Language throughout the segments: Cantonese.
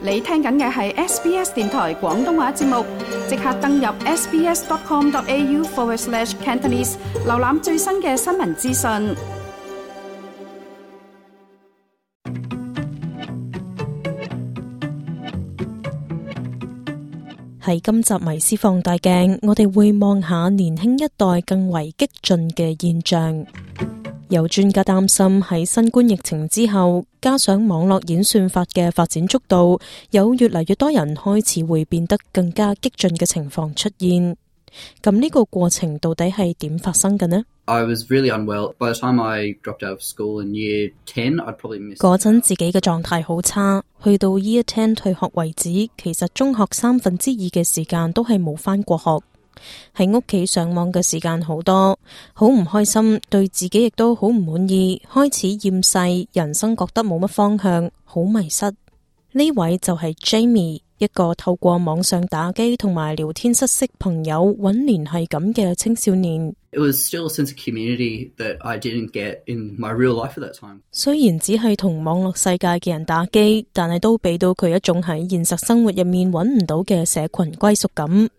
你聽緊嘅係 SBS 電台廣東話節目，即刻登入 sbs.com.au/Cantonese 瀏覽最新嘅新聞資訊。喺今集迷思放大鏡，我哋會望下年輕一代更為激進嘅現象。有專家擔心喺新冠疫情之後，加上網絡演算法嘅發展速度，有越嚟越多人開始會變得更加激進嘅情況出現。咁呢個過程到底係點發生嘅呢？ I was really unwell. By the time I dropped out of school in year 10, I'd probably missed. 嗰陣自己嘅狀態好差，去到 year 10退學為止，其實中學2/3嘅時間都係冇返過學。喺屋企上網嘅時間好多，好唔開心，對自己亦都好唔滿意，開始厭世，人生覺得冇乜方向，好迷失。呢位就係 Jamie， 一個透過網上打機同埋聊天室識朋友搵聯繫感嘅青少年。It was still a sense of community that I didn't get in my real life at that time. 雖然只係同網絡世界嘅人打機，但係都俾到佢一種喺現實生活入面搵唔到嘅社群歸屬感。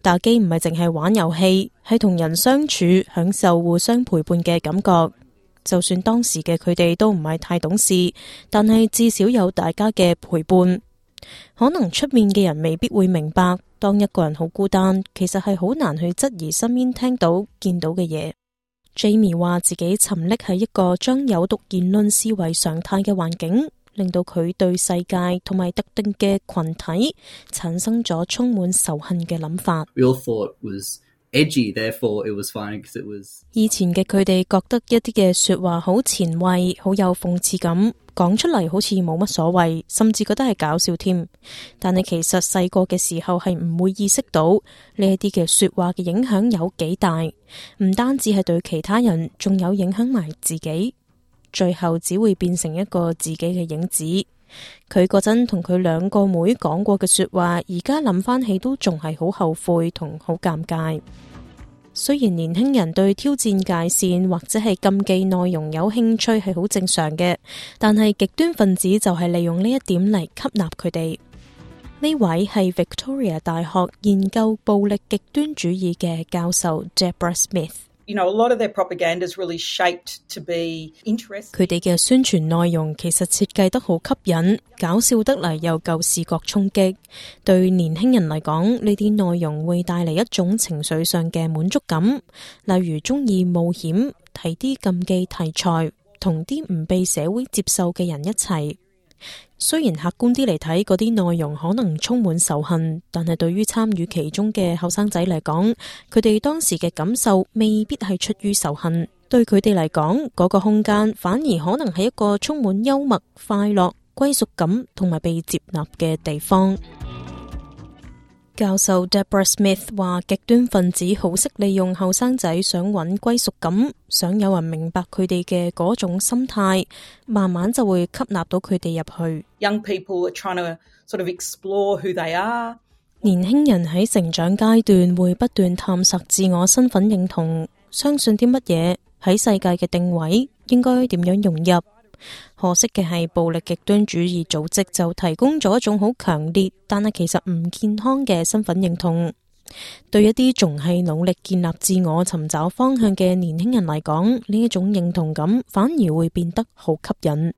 打機唔係淨係玩遊戲，係同人相處，享受互相陪伴嘅感覺。就算當時嘅佢哋都唔係太懂事，但係至少有大家嘅陪伴。可能出面嘅人未必會明白，當一個人好孤單，其實係好難去質疑身邊聽到見到嘅嘢。Jamie 話自己沉溺喺一個將有毒言論視為常態嘅環境，令到佢對世界同埋特定嘅群體產生咗充滿仇恨嘅諗法。We all thought it was edgy, therefore it was fine because it was. 以前嘅佢哋覺得一啲嘅說話好前衛，好有諷刺感，講出嚟好似冇乜所謂，甚至覺得係搞笑添。但係其實細個嘅時候係唔會意識到呢一啲嘅說話嘅影響有幾大，唔單止係對其他人，仲有影響埋自己。最後只會變成一個自己嘅影子。佢嗰陣同佢2個妹講過嘅說話，而家諗翻起都仲係好後悔同好尷尬。雖然年輕人對挑戰界線或者係禁忌內容有興趣係好正常嘅，但係極端分子就係利用呢一點嚟吸納佢哋。呢位係 Victoria 大學研究暴力極端主義嘅教授 Deborah Smith。A lot of their propaganda is really shaped to be interesting. 佢哋嘅宣傳內容其實設計得好吸引，搞笑得嚟又夠視覺衝擊。對年輕人嚟講，呢啲內容會帶嚟一種情緒上嘅滿足感，例如中意冒險，睇啲禁忌題材，同啲唔被社會接受嘅人一齊。雖然客觀啲嚟睇，嗰啲內容可能充滿仇恨，但係對於參與其中嘅後生仔嚟講，佢哋當時嘅感受未必係出於仇恨。對佢哋嚟講，嗰個空間反而可能係一個充滿幽默、快樂、歸屬感同埋被接納嘅地方。教授 Deborah Smith 話，極端分子好識利用後生仔想揾歸屬感，想有人明白佢哋嘅嗰種心態，慢慢就會吸納到佢哋入去。Young people are trying to sort of explore who they are. 年輕人喺成長階段會不斷探索自我身份認同，相信啲乜嘢，喺世界嘅定位，應該點樣融入。可惜嘅係，暴力極端主義組織就提供咗一種好強烈，但係其實唔健康嘅身份認同。對一啲仲係努力建立自我、尋找方向嘅年輕人嚟講，呢一種認同感反而會變得好吸引。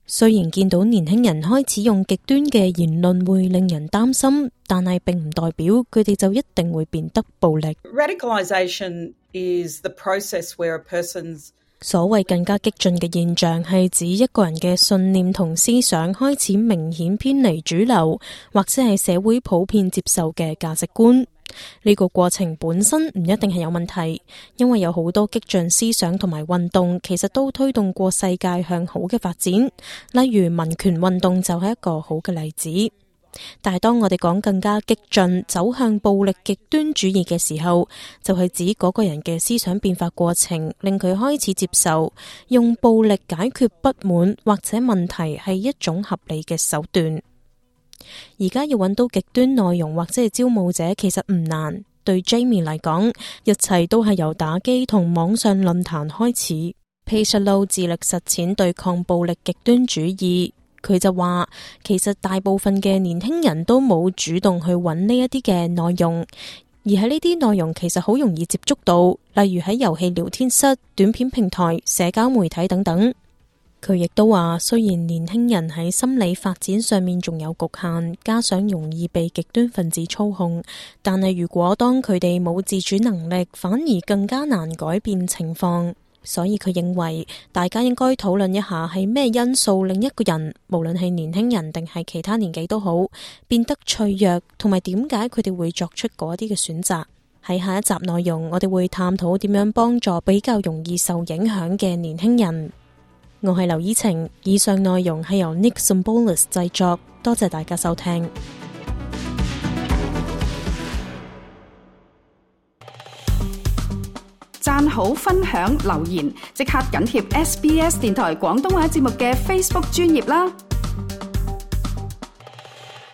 雖然見到年輕人開始用極端嘅言論會令人擔心，但係並唔代表佢哋就一定會變得暴力。Radicalization is the process where a person's所謂更加激進嘅現象，係指一個人嘅信念同思想開始明顯偏離主流，或者係社會普遍接受嘅價值觀。呢個過程本身唔一定係有問題，因為有好多激進思想同埋運動，其實都推動過世界向好嘅發展。例如民權運動就係一個好嘅例子。但係當我哋講更加激進走向暴力極端主義嘅時候，就係指嗰個人嘅思想變化過程令佢開始接受用暴力解決不滿或者問題係一種合理嘅手段。而家要揾到極端內容或者係招募者其實唔難，對 Jamie 嚟講，一切都係由打機同網上論壇開始。Peter Low 致力實踐對抗暴力極端主義。佢就話，其實大部分嘅年輕人都冇主動去揾呢一啲嘅內容，而喺呢啲內容其實好容易接觸到，例如喺遊戲聊天室、短片平台、社交媒體等等。佢亦都話，雖然年輕人喺心理發展上面仲有局限，加上容易被極端分子操控，但係如果當佢哋冇自主能力，反而更加難改變情況。所以佢認為大家應該討論一下係咩因素令一個人，無論係年輕人定係其他年紀都好，變得脆弱，同埋點解佢哋會作出嗰啲嘅選擇。喺下一集內容，我哋會探討點樣幫助比較容易受影響嘅年輕人。我係劉依晴，以上內容係由 Nick Symbolis 製作，多謝大家收聽。讚好、分享、留言，即刻緊貼SBS 電台廣東話節目嘅 Facebook 專頁啦！